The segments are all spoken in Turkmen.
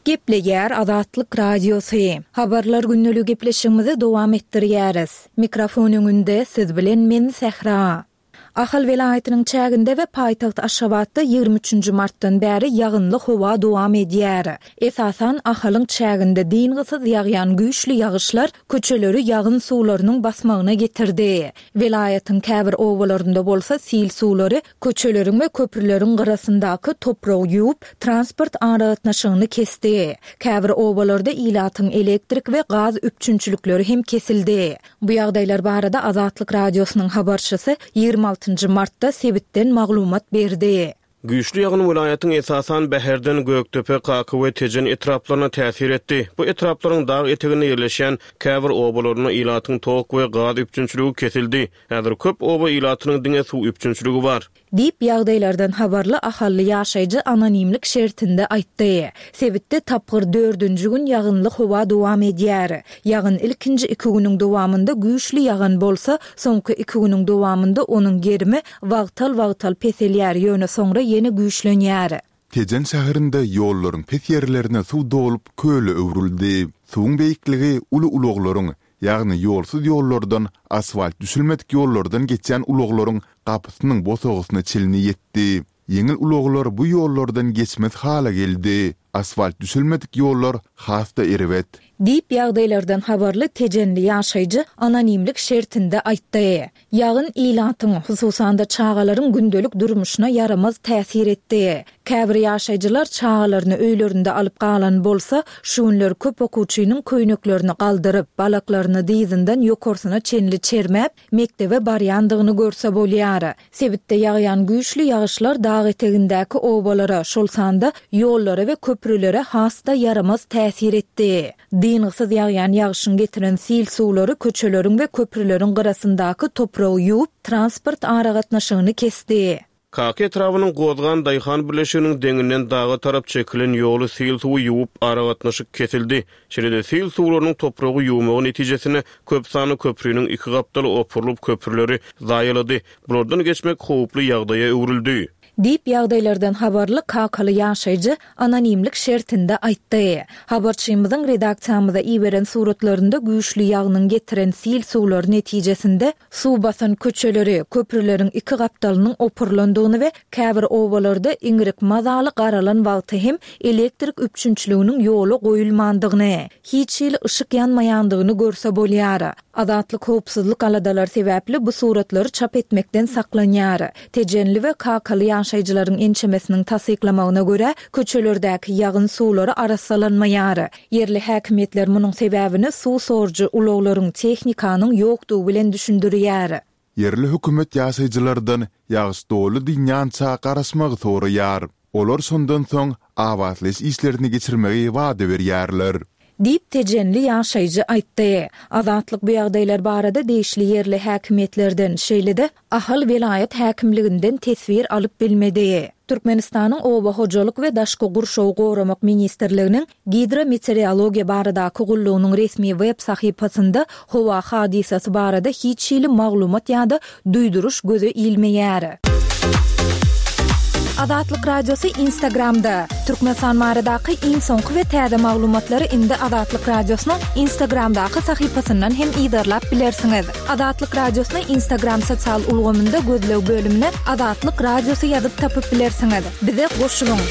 Gepleýär Azatlyk Radiosy. Habarlar gündeligi gepleşigimizi dowam etdirýäris. Mikrofon öňünde siz bilen men Sähra. Ahal welaýatynyň çäginde we paýtagt Aşgabatda 23 nji martdan bäri ýagynly howa dowam edýär. Esasan, Ahalyň çäginde dyngysyz ýagýan güýçli ýagyşlar köçeleri ýagyn suwlarynyň basmagyna getirdi. Welaýatyň käbir obalarynda bolsa sil suwlary köçeleriň we köprüleriň gyrasyndaky topragy ýuwup, transport aragatnaşygyny kesdi. Käbir obalarda ilatyň elektrik we gaz üpjünçilikleri hem kesildi. Bu ýagdaýlar barada Azatlyk Radiosynyň habarçysy 26 nji martda sebitden maglumat berdi. Güýçli ýagyn welaýatyň esasan Bäherden, Gökdepe, Kaka we Tejen etraplaryna täsir etdi. Bu etraplaryň dag eteginde ýerleşýän käbir obalarynda ilatyň tok we gaz üpjünçiligi kesildi. Häzir köp oba ilatynyň diňe suw üpjünçiligi bar. Diýip, ýagdaýlardan habarly ahally ýaşaýjy anonimlik şertinde aýtdy. Sebitde tapgyr dördünji gün ýagynly howa dowam edýär. Ýagyn ilkinji iki günüň dowamynda güýçli ýagan bolsa, soňky iki günüň dowamynda onuň gerimi wagtal-wagtal peselýär, ýöne soňra ýene güýçlenýär. Tejen şäherinde ýollaryň pes ýerlerine suw dolup, köle öwrüldi. Suwuň beýikligi uly ulaglaryň, ýagny ýolsuz ýollardan, asfalt düşülmedik ýollardan geçýän ulaglaryň gapysynyň bosagasyna çenli ýetdi. Ýeňil ulaglar bu ýollardan geçmez hala geldi. Asfalt düşelmedik ýollar has-da erbet. Diýip, ýagdaýlardan habarly tejenli ýaşaýjy anonimlik şertinde aýtdy. Ýagyn ilatyň, hususan-da çagalaryň gündelik durmuşyna ýaramaz täsir etdi. Käbir ýaşaýjylar çagalaryny öýlerinde alyp galan bolsa, şu günler köp okuwçynyň köýneklerini galdyryp, balaklaryny dyzyndan ýokarsyna çenli çermäp, mekdebe barýandygyny görse bolýar. Sebitde ýagýan güýçli ýagyşlar dag etegindäki obalara, şol sanda ýollara we köprülere has-da ýaramaz täsir etdi. Dyngysyz ýagýan ýagşyň getiren sil suwlary köçeleriň we köprüleriň gyrasyndaky topragy ýuwup, transport aragatnaşygyny kesdi. Kaka etrabynyň Gozgan daýhan birleşiginiň deňinden daga tarap çekilen ýoly sil suwy ýuwup, aragatnaşyk kesildi. Şeýle-de sil suwlarynyň topragy ýuwmagy netijesinde köp sanly köpriniň iki gapdaly opurylyp, köprüleri zaýalady. Bulardan geçmek howply ýagdaýa öwrüldi. Diýip, ýagdaýlardan habarly kakaly ýaşaýjy anonimlik şertinde aýtdy. Habarçymyzyň redaksiýamyza iberen suratlarynda güýçli ýagynyň getiren sil suwlary netijesinde Suw basan köçeleri, köprüleriň iki gapdalynyň opurylandygyny we käbir obalarda iňrik mazaly garalan wagty hem elektrik üpjünçiliginiň ýola goýulmandygyny, hiç hili yşyk ýanmaýandygyny görse bolýar. Azatlyk howpsuzlyk aladalary sebäpli bu suratlary çap etmekden saklanýar. Tejenli we kakaly ýaşaýjylaryň ençemesiniň tassyklamagyna görä, köçelerdäki ýagyn suwlary arassalanmaýar. Ýerli häkimiýetler munuň sebäbini suw sorujy ulaglaryň, tehnikanyň ýokdugy bilen düşündirýär. Ýerli hökümet ýaşaýjylardan ýagyş doly dynýança garaşmagy soraýar. Olar şondan soň abatlaýyş işlerini geçirmegi wada berýärler. Diýip, tejenli ýaşaýjy aýtdy. Azatlyk bu ýagdaýlar barada degişli ýerli häkimiýetlerden, şeýle-de, Ahal welaýat häkimliginden teswir alyp bilmedi. Türkmenistanyň Oba hojalyk we daşky gurşawy goramak ministrliginiň Gidrometeorologiýa baradaky gullugynyň resmi web sahypasynda howa hadysasy barada hiç hili maglumat ýa-da duýduryş göze ilmeýär. Azatlyk Radiosy Instagramda, Türkmenistan baradaky iň soňky we täze maglumatlary indi Azatlyk Radiosynyň Instagramdaky sahypasyndan hem yzarlap bilersiňiz. Azatlyk Radiosyny Instagram sosial ulgamynda gözleg bölümine Azatlyk Radiosy ýazyp tapyp bilersiňiz. Bize goşulyň!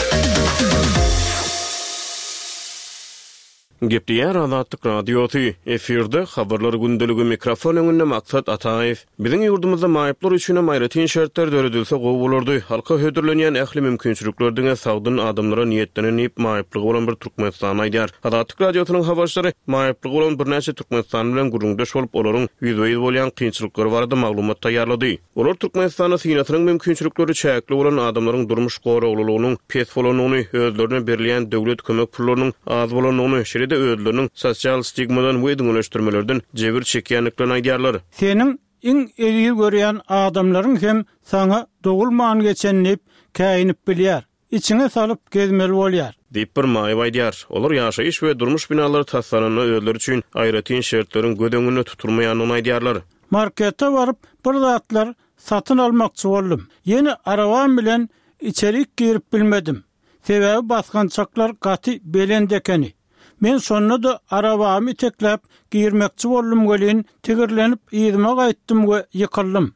Gepleýär Azatlyk Radiosy, efirde Habarlar gündeligi mikrofon öňünde Maksat Ataýew. Biziň ýurdumyzda maýyplar üçinem aýratyn şertler döredilse gowy bolardy. Halka hödürlenýän ähli mümkinçilikler diňe sagdyn adamlara niýetlenen diýip, maýyplygy bolan bir türkmenistanly aýdýar. Azatlyk Radiosynyň habarçylary maýyplygy bolan birnäçe türkmenistanly bilen gürrüňdeş bolup, olaryň ýüzbe-ýüz bolýan kynçylyklary barada maglumat taýýarlady. Olar Türkmenistanda synasynyň mümkinçilikleri çäkli bolan adamlaryň durmuş goraglylygynyň pes bolandygyny, özlerine berilýän döwlet kömek pullarynyň az bolandygyny, şeýle-de özleriniň sosial stigmadan we üzňeleşdirmelerden jebir çekýändiklerini aýdýarlar. Seniň iň eziz görýän adamlaryň hem saňa dogulman geçen diýip käýinip bilýär. Içiňe salyp gezmeli bolýar. Diýip, bir maýyp aýdýar. Olar ýaşaýyş we durmuş binalary taslananda özleri üçin aýratyn şertleriň göz öňünde tutulmaýandygyny aýdýarlar. Markete baryp bir zatlar satyn almakçy boldum. Ýene arabam bilen içerik girip bilmedim. Sebäbi basgançaklar gaty belent ekeni. Men şonda-da arabamy itekläp girmekçi boldum welin, tigirlenip yzyma gaýtdym we ýykyldym.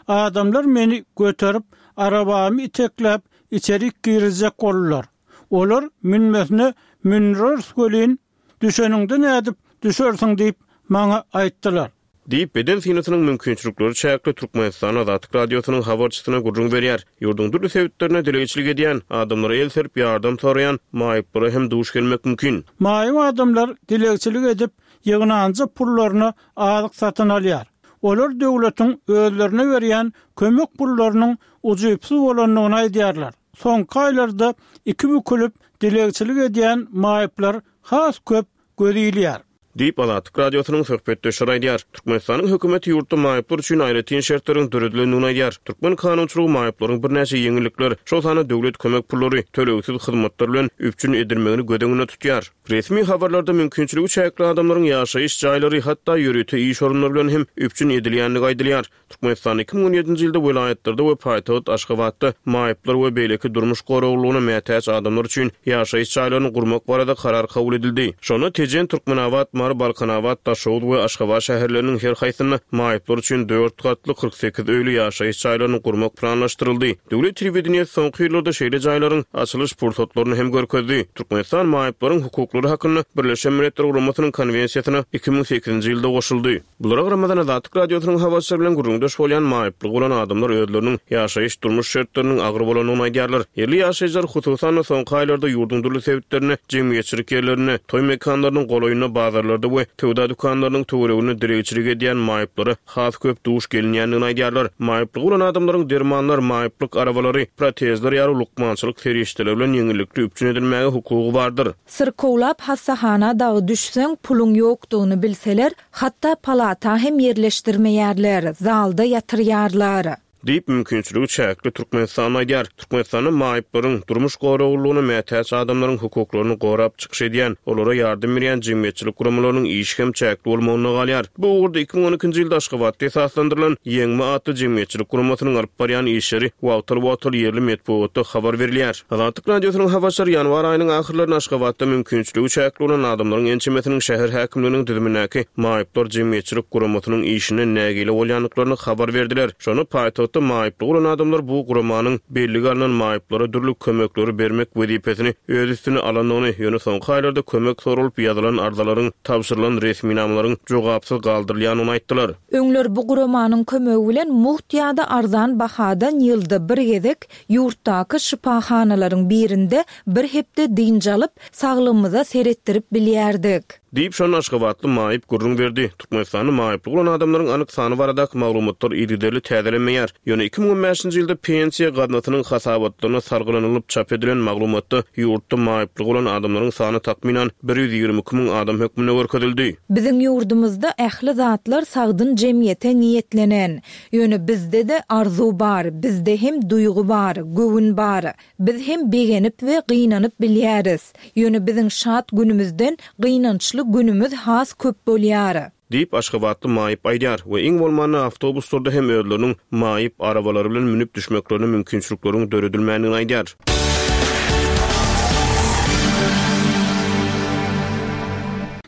Adamlar meni göterip, arabamy itekläp içerik girizjek boldular. Olar münmesine mündüreris welin, düşeniňde nädip düşersiň diýip, maňa aýtdylar. Diýip, beden synasynyň mümkinçilikleri çäkli Türkmenistan Azatlyk Radiosynyň habarçysyna gürrüň berýär. Ýurduň dürli sebitlerinde dilegçilik edýän, adamlara el serip ýardam soraýan maýyplara hem duş gelmek mümkin. Maýyp adamlar dilegçilik edip, ýygnanja pullaryna azyk satyn alýar. Olar döwletiň özlerine berýän kömek pullarynyň ujypsyz bolandygyny aýdýarlar. Soňky aýlarda iki bükülip dilegçilik edýän maýyplar has köp göz ilýär. Diýip, Azatlyk Radiosynyň söhbetdeşleri aýdýar. Türkmenistanyň hökümeti ýurtda maýyplar üçin aýratyn şertleriň döredilendigini aýdýar. Türkmen kanunçylygy maýyplaryň birnäçe ýeňillikler, şol sanda döwlet kömek pullary, tölegsiz hyzmatlar bilen üpjün edilmegini göz öňünde tutýar. Resmi habarlarda mümkinçiligi çäkli adamlaryň ýaşaýyş jaýlary, hatda ýörite iş orunlary bilen hem üpjün edilýändigi aýdylýar. Türkmenistanda 2017-nji ýylda welaýatlarda we paýtagt Aşgabatda maýyplar we beýleki durmuş goraglylygyna mätäç adamlar üçin ýaşaýyş jaýlaryny gurmak barada karar kabul edildi. Şonda Tejen, Türkmenabat, Mary, Balkanabat, Daşoguz we Aşgabat şäherleriniň her haýsynda maýyplar üçin dört gatly 48 öýli ýaşaýyş jaýlaryny gurmak planlaşdyryldy. Döwlet telewideniýesi soňky ýyllarda şeýle jaýlaryň açylyş pursatlaryny hem görkezdi. Türkmenistan maýyplaryň hukuklary hakynda Birleşen Milletler Guramasynyň Konwensiýasyna 2008-nji ýylda goşuldy. Bulara garamazdan, Azatlyk Radiosynyň habarçylary bilen gürrüňdeş bolýan maýyplygy bolan adamlar özleriniň ýaşaýyş-durmuş şertleriniň agyr bolandygyny aýdýarlar. Ýerli ýaşaýjylar, hususan-da, soňky aýlarda ýurduň dürli sebitlerinde, jemgyýetçilik ýerlerinde, toý mekanlarynyň golaýynda, bazarlarda we söwda dükanlarynyň töwereginde dilegçilik edýän maýyplara has köp duş gelinýändigini aýdýarlar. Maýyplygy bolan adamlaryň dermanlar, maýyplyk arabalary, protezler ýaly lukmançylyk serişdeleri bilen ýeňillikli üpjün edilmäge hukugy bardyr. Syrkawlap hassahana dagy düşseň, puluň ýokdugyny bilseler, hatda palata hem ýerleşdirmeýärler, zalda ýatyrýarlar. Diýip, mümkinçiligi çäkli türkmenistanly aýdýar. Türkmenistanda maýyplaryň, durmuş goraglylygyna mätäç adamlaryň hukuklaryny gorap çykyş edýän, olara ýardam berýän jemgyýetçilik guramalarynyň işi hem çäkli bolmagynda galýar. Bu ugurda 2012-nji ýylda Aşgabatda esaslandyrylan Ýeňme atly jemgyýetçilik guramasynyň alyp barýan işleri wagtal-wagtal ýerli metbugatda habar berilýär. Azatlyk Radiosynyň habarçylary ýanwar aýynyň ahyrlarynda Aşgabatda mümkinçiligi çäkli bolan adamlaryň ençemesiniň şäher häkimliginiň düzümindäki Maýyplar jemgyýetçilik guramasynyň işinden nägile bolýandyklaryny habar berdiler. Şonda paýtagtda maýyplygy bolan adamlar bu guramanyň bellige alnan maýyplara dürli kömekleri bermek wezipesini öz üstüne alandygyny, ýöne soňky aýlarda kömek soralyp ýazylan arzalaryň, tabşyrylan resminamalaryň jogapsyz galdyrylýandygyny aýtdylar. Öňler bu guramanyň kömegi bilen mugt ýa-da arzan bahadan ýylda bir gezek Ýurtdaky şypahanalaryň birinde bir hepde dynç alyp, saglygymyza seretdirip bilýärdik. Diýip, şonda aşgabatly maýyp gürrüň berdi. Türkmenistanda maýyplygy bolan adamlaryň anyk sany baradaky maglumatlar yzygiderli täzelenmeýär. Ýöne 2015-nji ýylda Pensiýa gaznasynyň hasabatlaryna salgylanylyp çap edilen maglumatda ýurtda maýyplygy bolan adamlaryň sany takmynan 122 müň adam hökmünde görkezildi. Biziň ýurdumyzda ähli zatlar sagdyn jemgyýete niýetlenen. Ýöne bizde-de arzuw bar, bizde hem duýgy bar, göwün bar. Biz hem begenip we gynanyp bilýäris. Ýöne biziň şat günümizden gynançly günümiz has köp bolýar. Diýip, aşgabatly maýyp aýdýar we iň bolmanda awtobuslarda hem özleriniň maýyp arabalary bilen münüp düşmeklerine mümkinçilikleriň döredilmändigini aýdýar.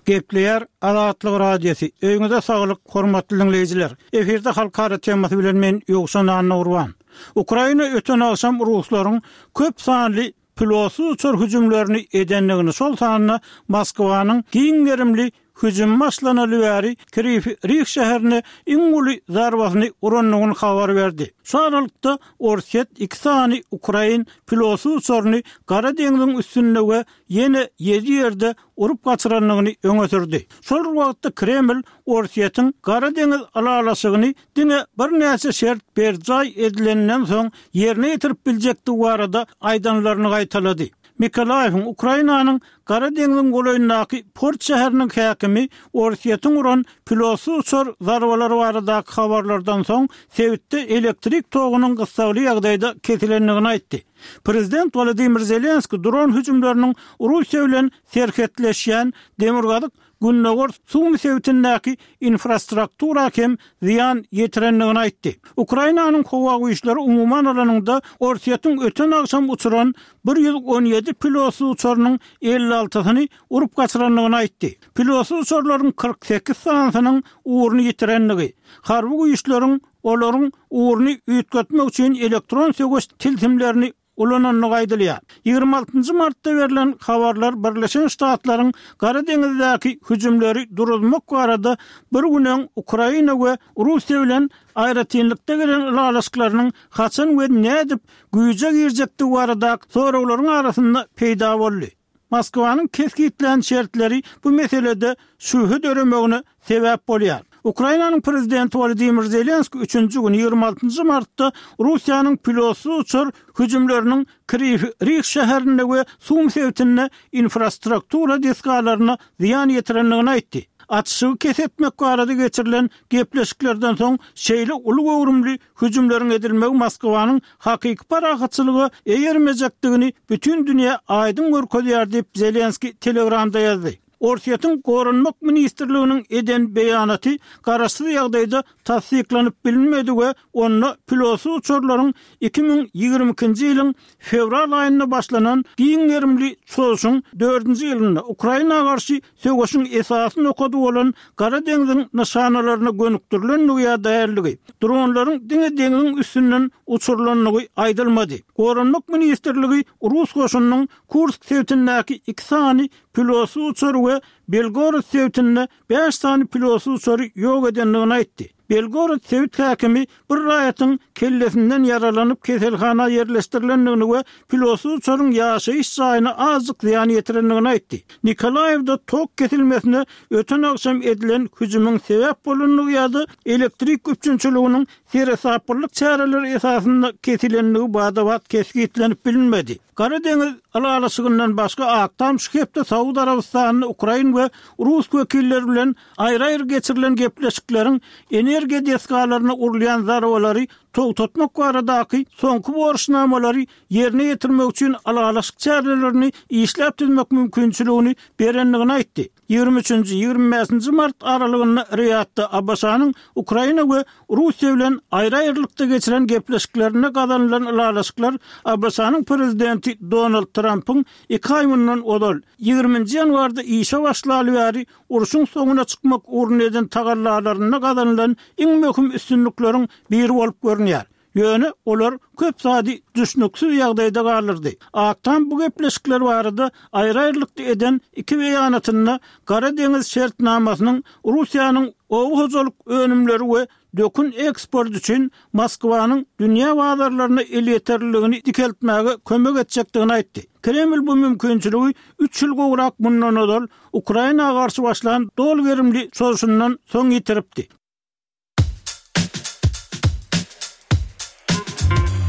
Gepleýär Azatlyk Radiosy, Öýüňize saglyk, hormatly diňleýjiler! Efirde halkara temasy bilen men Ýowşan Annagurban. Ukraina öten agşam ruslaryň köp sanly pilotsyz uçar hüjümlerini edendigini, şol sanda Moskwanyň giň gerimli hüjümi başlanaly bäri Kriwi Rih şäherine iň uly zarbasyny urandygyny habar berdi. Şu aralykda, Orsýet iki sany ukrain pilotsyz uçaryny Gara deňziň üstünde we ýene ýedi ýerde urup gaçyrandygyny öňe sürdi. Şol bir wagtda Kreml Orsýetiň Gara deňiz ylalaşygyny diňe birnäçe şert berjaý edileninden soň ýerine ýetirip biljekdigi barada aýdanlaryny gaýtalady. Mikolaýewiň Ukrainanyň Gara deňziň golaýyndaky port şäheriniň häkimi Orsýetiň uran pilotsyz uçar zarbalary baradaky habarlardan soň sebitde elektrik togunyň gyssagly ýagdaýda kesilendigini aýtdy. Prezident Wolodymyr Zelenskiý dron hüjümleriniň Russiýa bilen serhetleşýän demirgazyk. gündogar Sumy sebitindäki infrastruktura hem zyýan ýetirendigini aýtdy. Ukrainanyň howa güýçleri umuman alanyňda Orsýetiň öten agşam uçuran 117 pilotsyz uçarynyň 56-syny urup gaçyrandygyny aýtdy. Pilotsyz uçarlaryň 48 sanysynyň ugruny ýitirendigi, harby güýçleriň olaryň ugruny üýtgetmek üçin elektron söweş tilsimlerini ulanandygy aýdylýar. 26 nji martda berlen habarlar Birleşen Ştatlaryň Gara deňizdäki hüjümleri duruzmak barada bir gün öň Ukraina we Russiýa bilen aýratynlykda gelen ylalaşyklarynyň haçan we nädip güýje girjekdigi baradaky soraglaryň arasynda peýda boldy. Moskwanyň kesgitlän şertleri bu meselede şübhe döremegine sebäp bolýar. Ukrainanyň prezidenti Wolodymyr Zelenskiý üçünji gün, 26 nji martda Russiýanyň pilotsyz uçar hüjümleriniň Kriwi Rih şäherinde we Sum sebitinde infrastruktura desgalaryna zyýan ýetirendigini aýtdy. Atyşygy kes etmek barada geçirilen gepleşiklerden soň şeýle uly göwrümli Hüjümleriň edilmegi Moskwanyň hakyky parahatçylyga eýermejekdigini bütin dünýä aýdyň görkezýär diýip, Zelenskiý Telegramda ýazdy. Orsýetiň Goranmak ministrliginiň eden beýanaty garaşsyz ýagdaýda tassyklanyp bilinmedi we onda pilotsyz uçarlaryň 2022-nji ýylyň fewral aýynda başlanan giň gerimli çozuşyň dördünji ýylynda Ukraina garşy söweşiň esasy nokady bolan Gara deňziň nyşanalaryna gönükdirilendigi ýa däldigi, dronlaryň diňe deňziň üstünden uçurylandygy aýdylmady. Goranmak ministrligi rus goşunynyň Kursk sebitindäki iki sany pilotsyz uçary we Belgorod sebitinde bäş sany pilotsyz uçary ýok edendigini aýtdy. Belgorod sebit häkimi bir raýatyň kellesinden ýaralanyp keselhana ýerleşdirilendigini we pilotsyz uçaryň ýaşaýyş jaýyna azjyk zyýan ýetirendigini aýtdy. Nikolaýewde tok kesilmesine öten agşam edilen hüjümiň sebäp bolandygy ýa-da elektrik üpjünçiliginiň seresaplylyk çäreleri esasynda kesilendigi bada-bat kesgitlenip bilinmedi. Gara deňiz ylalaşygyndan başga Ak Tam şu hepde Saud Arabystanynda ukrain we rus wekilleri bilen Aýry-aýry geçirilen gepleşikleriň energiýa desgalaryna urulýan zarbalary togtatmak baradaky soňky borçnamalary ýerine ýetirmek üçin ylalaşyk çärelerini işläp düzmek mümkinçiligini berendigini aýtdy. 23-nji, 25-nji mart aralygynda Riýadda ABŞ-nyň Ukraina we Russiýa bilen aýry-aýrylykda geçiren gepleşiklerinde gazanylan ylalaşyklar ABŞ-nyň Prezidenti Donald Trampyň iki aý mundan ozal, 20-nji ýanwarda işe başlaly bäri urşuň soňuna çykmak ugrunda eden tagallalarynda gazanylan iň möhüm üstünlikleriň biri bolup görünýär. Ýöne olar köp zady düşnüksiz ýagdaýda galdyrdy. Ak Tam bu gepleşikler barada aýry-aýrylykda eden iki beýanatynda Gara deňiz şertnamasynyň Russiýanyň oba hojalyk önümleri we dökün eksporty üçin Moskwanyň dünýä bazarlaryna elýeterliligini dikeltmäge kömek etjekdigini aýtdy. Kreml bu mümkinçiligi üç ýyl gowrak mundan ozal Ukraina garşy başlan doly gerimli çozuşyndan soň ýitiripdi.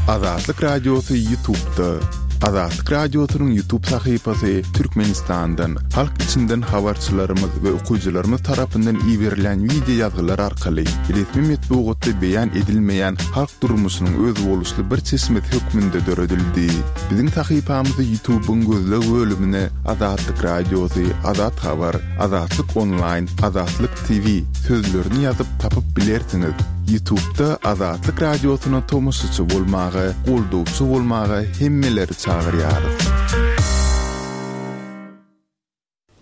Azatlyk Radiosy Ýutubda. Azatlyk Radiosynyň Ýutub sahypasy Türkmenistandan, halk içinden habarçylarymyz we okyjylarymyz tarapyndan iberilýän wideo ýazgylar arkaly resmi metbugatda beýan edilmeýän halk durmuşynyň özboluşly bir çeşmesi hökmünde döredildi. Biziň sahypamyzy Ýutubyň gözleg bölümine Azatlyk Radiosy, Azat Habar, Azatlyk Onlaýn, Azatlyk TV sözlerini ýazyp tapyp bilersiňiz. Ýutubda Azatlyk Radiosyna tomaşaçy bolmaga, goldawçy bolmaga hemmeleri çagyrýarys.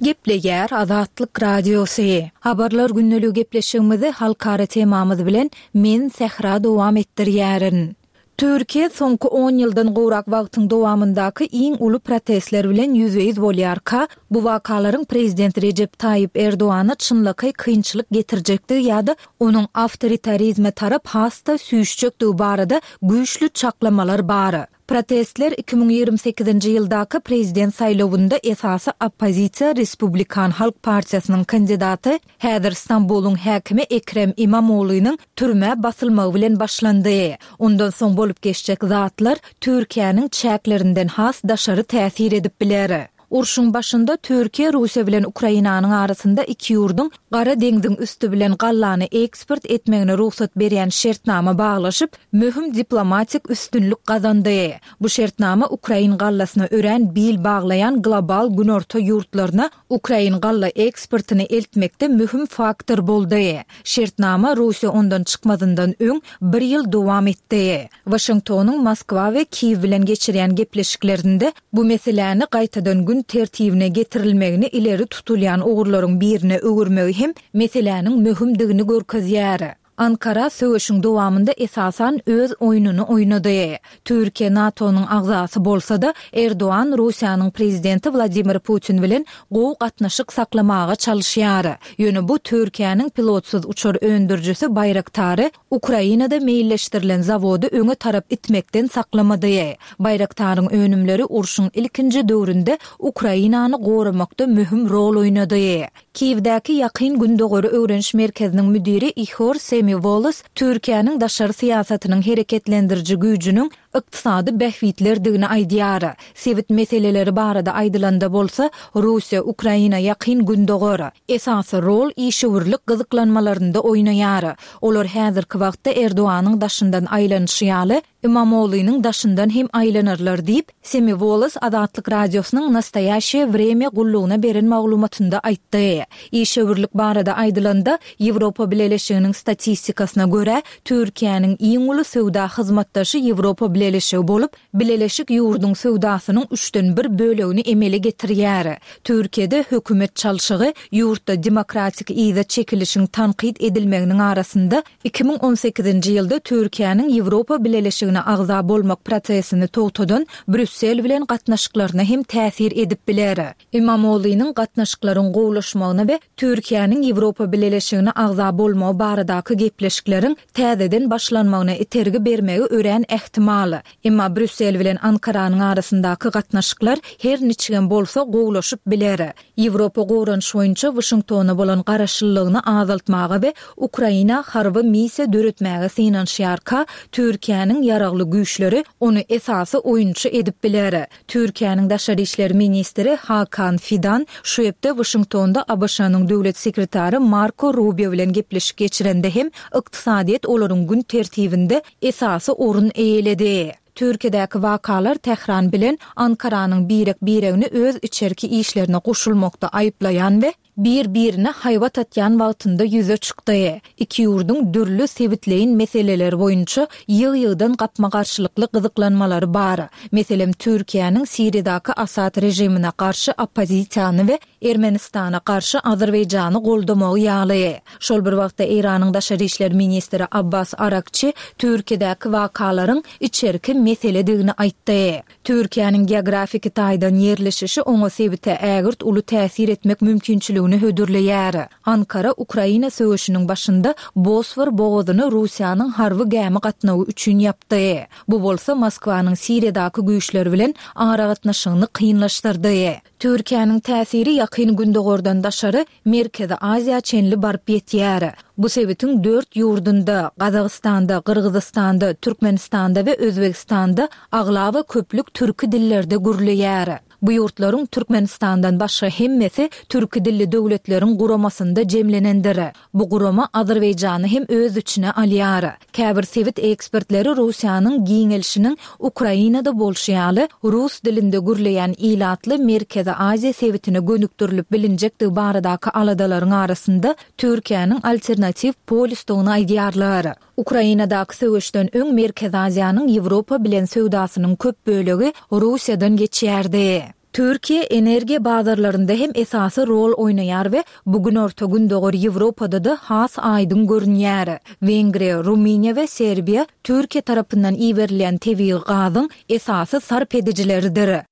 Gepleýär Azatlyk Radiosy. Habarlar gündeligi gepleşigimizi halkara temamyz bilen men Sähra dowam etdirýärin. Türkiýe soňky on ýyldan gowrak wagtyň dowamyndaky iň uly protestler bilen ýüzbe-ýüz bolýarka, bu wakalaryň prezident Rejep Taýyp Erdogana çynlakaý kynçylyk getirjekdigi ýa-da onuň awtoritarizme tarap has-da süýşjekdigi barada güýçli çaklamalar bar. Protestler 2028-nji ýyldaky prezident saýlawynda esasy oppozisiýa Respublikan halk partiýasynyň kandidaty, häzir Stambulyň häkimi Ekrem Imamoglynyň türmä basylmagy bilen başlandy. Ondan soň bolup geçjek zatlar Türkiýäniň çäklerinden has daşary täsir edip biler. Urşuň başynda Türkiýe Russiýa bilen Ukrainanyň arasynda iki ýurduň Gara deňziň üsti bilen gallany eksport etmegine rugsat berýän şertnama baglaşyp, möhüm diplomatik üstünlik gazandy. Bu şertnama ukrain gallasyna örän bil baglaýan global günorta ýurtlaryna ukrain galla eksportyny eltmekde möhüm faktor boldy. Şertnama Russiýa ondan çykmazyndan öň bir ýyl dowam etdi. Waşingtonyň Moskwa we Kiýew bilen geçirýän gepleşiklerinde bu meseläni gaýtadan gün tertibine getirilmegini ileri tutulýan ugurlaryň birine öwürmegi hem meseläniň möhümdigini görkezýär. Ankara söweşiň dowamynda esasan öz oýnuny oýnady. Türkiýe NATO-nyň agzasy bolsa-da, Erdogan Russiýanyň prezidenti Wladimir Putin bilen gowy gatnaşyk saklamaga çalyşýar. Ýöne bu Türkiýäniň pilotsyz uçar öndürijisi Baýraktary Ukrainada meýilleşdirilen zawody öňe tarap itmekden saklamady. Baýraktaryň önümleri urşuň ilkinji döwründe Ukrainany goramakda möhüm rol oýnady. Kiýewdäki Ýakyn Gündogary öwreniş merkeziniň müdiri Ihor Semiwolos Türkiýäniň daşary syýasatynyň hereketlendiriji güýjüniň ykdysady bähbitlerdigini aýdýar. Sebit meseleleri barada aýdylanda bolsa, Russiýa, Ukraina, Ýakyn Gündogar, esasy rol işewürlik gyzyklanmalarynda oýnaýar. Olar häzirki wagtda Erdoganyň daşyndan aýlanyşy ýaly, Imamoglynyň daşyndan hem aýlanarlar diýip, Semiwolos Azatlyk Radiosynyň Nastoýaşeýe Wremýa gullugyna beren maglumatynda aýtdy. Işewürlik barada aýdylanda, Ýewropa Bileleşiginiň statistikasyna görä, Türkiýäniň iň uly söwda hyzmatdaşy Ýewropa Bileleşigi bolup, Bileleşik ýurduň söwdasynyň üçden bir bölegini emele getirýär. Türkiýede hökümet çalşygy ýurtda demokratik yza çekilişiň tankyt edilmeginiň arasynda 2018-nji ýylda Türkiýäniň Ýewropa Bileleşigine agza bolmak prosesini togtadan Brýussel bilen gatnaşyklaryna hem täsir edip biler. Imamoglynyň gatnaşyklaryň gowulaşmagyna we Türkiýäniň Ýewropa Bileleşigine agza bolmagy baradaky gepleşikleriň täzeden başlanmagyna itergi bermegi örän ähtimal. Emma Brýussel bilen Ankaranyň arasyndaky gatnaşyklar her niçigem bolsa gowulaşyp biler. Ýewropa goranyş boýunça Waşingtona bolan garaşlylygyny azaltmaga we Ukraina harby missiýa döretmäge synanyşýarka, Türkiýäniň ýaragly güýçleri ony esasy oýunçy edip biler. Türkiýäniň daşary işler ministri Hakan Fidan şu hepde Waşingtonda ABŞ-nyň döwlet sekretary Marko Rubio bilen gepleşik geçirende hem ykdysadyýet olaryň gün tertibinde esasy orun eýeledi. Türkiýedäki wakalar Tähran bilen Ankaranyň birek-biregini öz içerki işlerine goşulmakda aýyplaýan we bir-birine haýbat atýan wagtynda ýüze çykdy. Iki ýurduň dürli sebitleýin meseleler boýunça ýygy-ýygydan gapma-garşylykly gyzyklanmalary bar. Meselem, Türkiýäniň Siriýadaky Asad režimine garşy oppozisiýany we Ermenistana garşy Azerbaýjany goldamagy ýaly. Şol bir wagtda Eýranyň daşary işler ministri Abbas Arakçi Türkiýedäki wakalaryň içerki meseledigini aýtdy. Türkiýäniň geografiki taýdan ýerleşişi oňa sebite ägirt uly täsir etmek mümkinçiligini hödürleýär. Ankara Ukraina söweşiniň başynda Bosfor bogazyny Russiýanyň harby gämi gatnawy üçin ýapdy. Bu bolsa Moskwanyň Siriýadaky güýçleri bilen aragatnaşygyny kynlaşdyrdy. Türkiýäniň täsiri Ýakyn Gündogardan daşary Merkezi Aziýa çenli baryp ýetýär. Bu sebitiň dört ýurdunda, Gazagystanda, Gyrgyzystanda, Türkmenistanda we Özbegistanda aglaba köplük türki dillerde gürleýär. Bu ýurtlaryň Türkmenistandan başga hemmesi Türki dilli döwletleriň guramasynda jemlenendir. Bu gurama Azerbaýjany hem öz içine alýar. Käbir sebit ekspertleri Russiýanyň giňelişiniň Ukrainada bolşy ýaly, rus dilinde gürleýän ilatly Merkezi Aziýa sebitine gönükdirilip bilinjekdigi baradaky aladalaryň arasynda Türkiýäniň alternatiw polýusdygyny aýdýarlar. Ukrainadaky söweşden öň Merkezi Aziýanyň Ýewropa bilen söwdasynyň köp bölegi Russiýadan geçýärdi. Türkiýe energiýa bazarlarynda hem esasy rol oýnaýar we bu Günorta-Gündogar Ýewropada-da has aýdyň görünýär. Wengriýa, Rumyniýa we Serbiýa Türkiýe tarapyndan iberilýän tebigy gazyň esasy sarp edijileridir.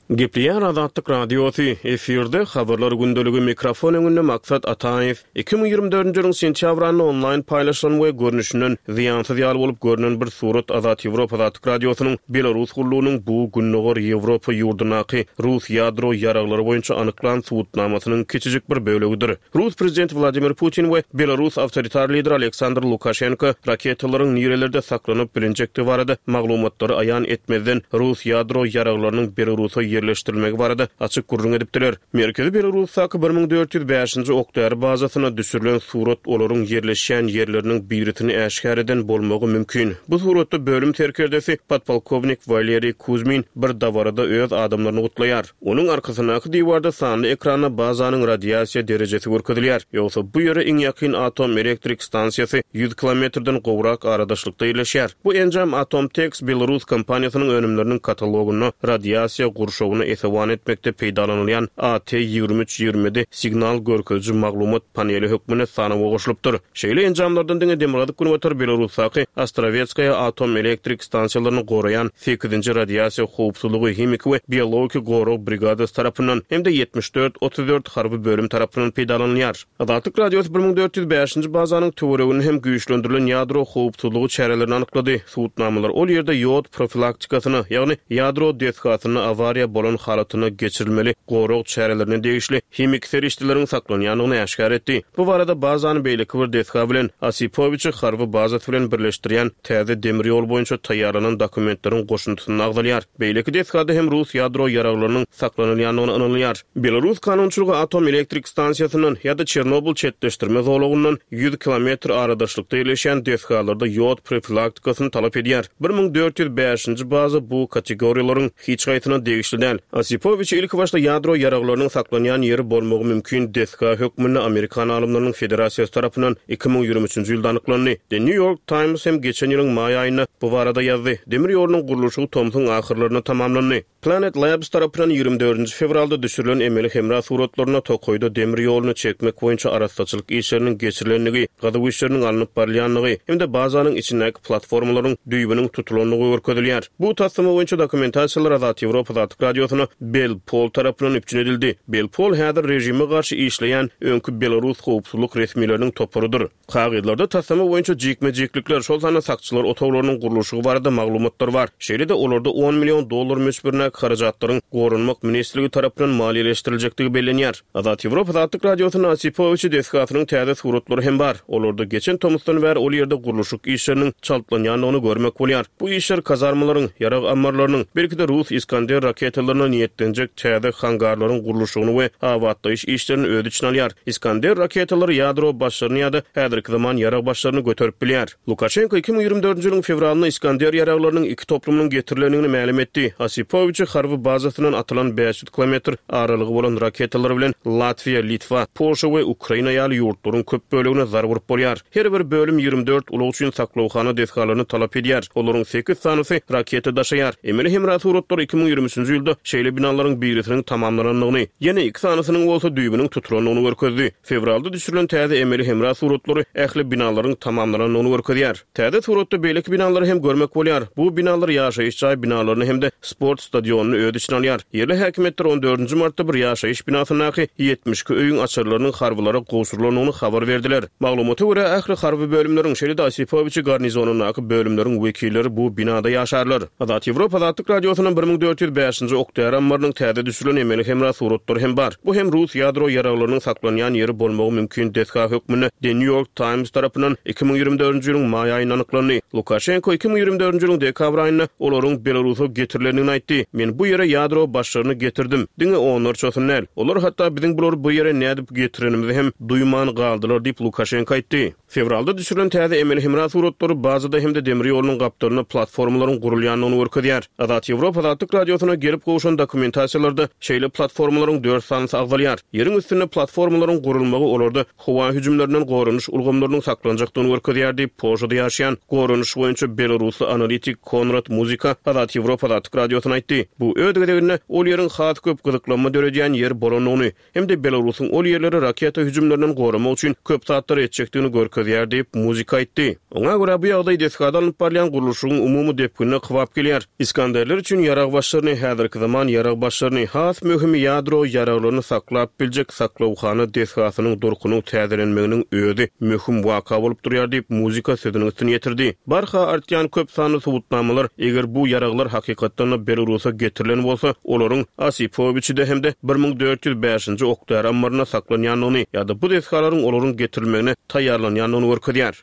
Gepleýär Azatlyk Radiosy, efirde Habarlar gündeligi, mikrofon öňünde Maksat Ataýew. 2024-nji ýylyň sentýabr aýynda onlaýn paýlaşylan we görnüşinden zyýansyz ýaly bolup görnen bir surat Azat Ýewropa Azatlyk Radiosynyň Belarus gullugynyň bu Gündogar Ýewropa ýurdundaky rus ýadro ýaraglary boýunça anyklan subutnamasynyň kiçijik bir bölegidir. Rus prezidenti Wladimir Putin we belarus awtoritar lideri Aleksandr Lukaşenko raketalaryň nirelerde saklanyp bilinjekdigi barada maglumatlary aýan etmezden, rus ýadro ýaraglarynyň Belarusa ýerleşdirilmegi barada açyk gürrüň edipdiler. Merkezi Belarusdaky 1405-nji ok-däri bazasyna düşürilen surat olaryň ýerleşýän ýerleriniň birisini äşgär eden bolmagy mümkin. Bu suratda bölüm serkerdesi podpolkownik Waleriý Kuzmin bir dabarada öz adamlaryny gutlaýar. Onuň arkasyndaky diwarda sanly ekranda bazanyň radiasiýa derejesi görkezilýär. Ýogsa bu ýere iň ýakyn atom elektrik stansiýasy ýüz kilometrden gowrak aradaşlykda ýerleşýär. Bu enjam Atomtex belarus kompaniýasynyň önümleriniň katalogynda radiasiýa gurşawyna esewan etmekde peýdalanylýan AT 23 27 signal görkeziji maglumat paneli hökmünde sanawa goşulypdyr. Şeýle enjamlardan diňe demirgazyk-günbatar Belarusdaky Ostrawetskaýa atom elektrik stansiýalaryny goraýan sekizinji radiasiýa howpsuzlygy, himiki we biologiki gorag brigadasy tarapyndan hem-de 74 34 harby bölüm tarapyndan peýdalanylýar. Azatlyk Radiosy 1405-nji bazanyň töwereginde hem güýçlendirilen ýadro howpsuzlygy çärelerini anyklady. Subutnamalar ol ýerde ýod profilaktikasyna, ýagny ýadro desgasynda awariýa bolan halatynda geçirilmeli gorag çärelerine degişli himiki serişdeleriň saklanýandygyny äşgär etdi. Bu barada bazany beýleki bir desga bilen, Osipowiçi harby bazasy bilen birleşdirýän täze demir ýol boýunça taýýarlanan dokumentleriň goşundysynda agzalýar. Beýleki desgada hem rus ýadro ýaraglarynyň saklanylýandygyna ynanylýar. Belarus kanunçylygy atom elektrik stansiýasyndan ýa-da Çernobyl çetleşdirme zolagyndan ýüz kilometr aradaşlykda ýerleşýän desgalarda ýod profilaktikasyny talap edýär. 1405-nji baza bu kategoriýalaryň hiç haýsyna degişli däl. Osipowiçi ilkibaşda ýadro ýaraglarynyň saklanýan ýeri bolmagy mümkin desga hökmünde Amerikan alymlarynyň federasiýasy tarapyndan 2023-nji ýylda anyklandy. The New York Times hem geçen ýylyň maý aýynda bu barada ýazdy. Demir ýolunyň gurluşygy tomsuň ahyrlarynda tamamlandy. Planet Labs tarapyndan 24-nji fewralda düşürilen emeli hemra suratlarynda tokaýda demir ýoluny çekmek boýunça arassaçylyk işleriniň geçirilendigi, gazuw işleriniň alnyp barylýandygy hem-de bazanyň içindäki platformalaryň düýbüniň tutulandygy görkezilýär. Bu taslama boýunça dokumentasiýalar Azat Ýewropa Azatlyk Radiosyna BelPol tarapyndan üpjün edildi. BelPol häzir režime garşy işleýän öňki belarus howpsuzlyk resmileriniň toparydyr. Kagyzlarda taslama boýunça jikme-jiklikler, şol sanda sakçylar otaglarynyň gurluşygy barada maglumatlar bar. Şeýle-de, olarda on million dollar möçberindäki harajatlaryň Goranmak ministrligi tarapyndan maliýeleşdiriljekdigi bellenýär. Azat Ýewropa Azatlyk Radiosynda Osipowiçi desgasynyň täze suratlary hem bar. Olarda geçen tomusdan bäri ol ýerde gurluşyk işleriniň çaltlanýandygyny görmek bolýar. Bu işler kazarmalaryň, ýarag ammarlarynyň, belki-de rus Iskander raketalaryna niýetlenjek täze hangarlaryň gurluşygyny we abatlaýyş işlerini öz içine alýar. Iskander raketalary ýadro başlaryny ýa-da häzirki zaman ýarag başlaryny göterip bilýär. Lukaşenko 2024-nji ýylyň fewralynda Iskander ýaraglarynyň iki toplumynyň getirilendigini mälim etdi. Osipowiçi harby bazasyndan atylan 500 kilometr aralygy bolan raketalar bilen Latwiýa, Litwa, Polşa we Ukraina ýaly ýurtlaryň köp bölegine zarba urup bolýar. Her bir bölüm 24 ulag üçin saklawhana desgalaryny talap edýär. Olaryň sekiz sanysy raketa daşaýar. Emeli hemra suratlary 2023-nji ýylda şeýle binalaryň birisiniň tamamlanandygyny, ýene iki sanysynyň bolsa düýbüniň tutulandygyny görkezdi. Fewralda düşürilen täze emeli hemra suratlary ähli binalaryň tamamlanandygyny görkezýär. Täze suratda beýleki binalary hem görmek bolýar. Bu binalar ýaşaýyş jaý binalaryny hem-de sport stadionyny öz içine alýar. Ýerli häkimiýetler on dördünji martda bir ýaşaýyş binasyndaky 72 öýüň açarlarynyň harbylara gowşurylandygyny habar berdiler. Maglumata görä, ähli harby bölümleriň, şeýle-de Osipowiçi garnizonyndaky bölümleriň wekilleri bu binada ýaşarlar. Azat Ýewropa Azatlyk Radiosynyň 1405-nji ok-däri ammarynyň täze düşürilen emeli hemra suratlary hem bar. Bu hem rus ýadro ýaraglarynyň saklanýan ýeri bolmagy mümkin desga hökmünde The New York Times tarapyndan 2024-nji ýylyň maý aýynda anyklandy. Lukaşenko 2024-nji ýylyň dekabr aýynda olaryň Belarusa getirilendigini aýtdy. Men bu ýere ýadro başlaryny getirdim. Diňe onlarçasyny däl. Olar hatda biziň bulary bu ýere nädip getirenimizi hem duýman galdylar diýip, Lukaşenko aýtdy. Fewralda düşürilen täze emeli hemra suratlary bazada hem-de demir ýolunyň gapdalynda platformalaryň gurulýandygyny görkezýär. Azat Ýewropa Azatlyk Radiosyna gelip gowşan dokumentasiýalarda şeýle platformalaryň dört sanysy agzalýar. Ýeriň üstünde platformalaryň gurulmagy olarda howa hüjümlerinden goranyş ulgamlarynyň saklanjakdygyny görkezýär diýip, Polşada ýaşaýan goranyş boýunça belarusly analitik Konrad Muzyka Azat Ýewropa Azatlyk Radiosyna aýtdy. Bu öz gezeginde ol ýeriň has köp gyzyklanma döredýän ýer bolandygyny, hem-de Belarusyň ol ýerleri raketa hüjümlerinden goramak üçin köp zatlar etjekdigini görkezýär. görkezýär diýip, Muzyka aýtdy. Oňa görä, bu ýagdaý desgada alnyp barylýan gurluşygyň umumy depginine kybap gelýär. Iskanderler üçin ýarag başlaryny, häzirki zaman ýarag başlaryny, has möhümi ýadro ýaraglaryny saklap biljek saklawhana desgasynyň durkunyň täzelenmeginiň özi möhüm waka bolup durýar diýip, Muzyka sözüniň üstüni ýetirdi. Barha artýan köp sanly subutnamalar, eger bu ýaraglar hakykatdan-da Belarusa getirilen bolsa, olaryň Osipowiçide hem-de 1405-nji ok-däri ammarynda saklanýandygyny ýa-da bu desgalaryň olaryň getirilmegine taýýarlanýandygyny görkezýär.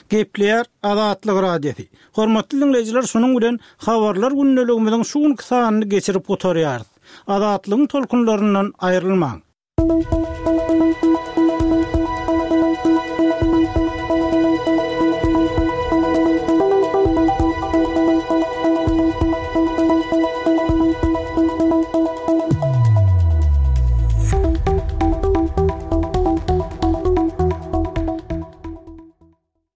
Gepleýär Azatlyk Radiosy. Hormatly diňleýjiler şunuň bilen Habarlar gündeligimiziň şu günki sanyny geçirip gutarýarys. Azatlygyň tolkunlaryndan aýrylmaň.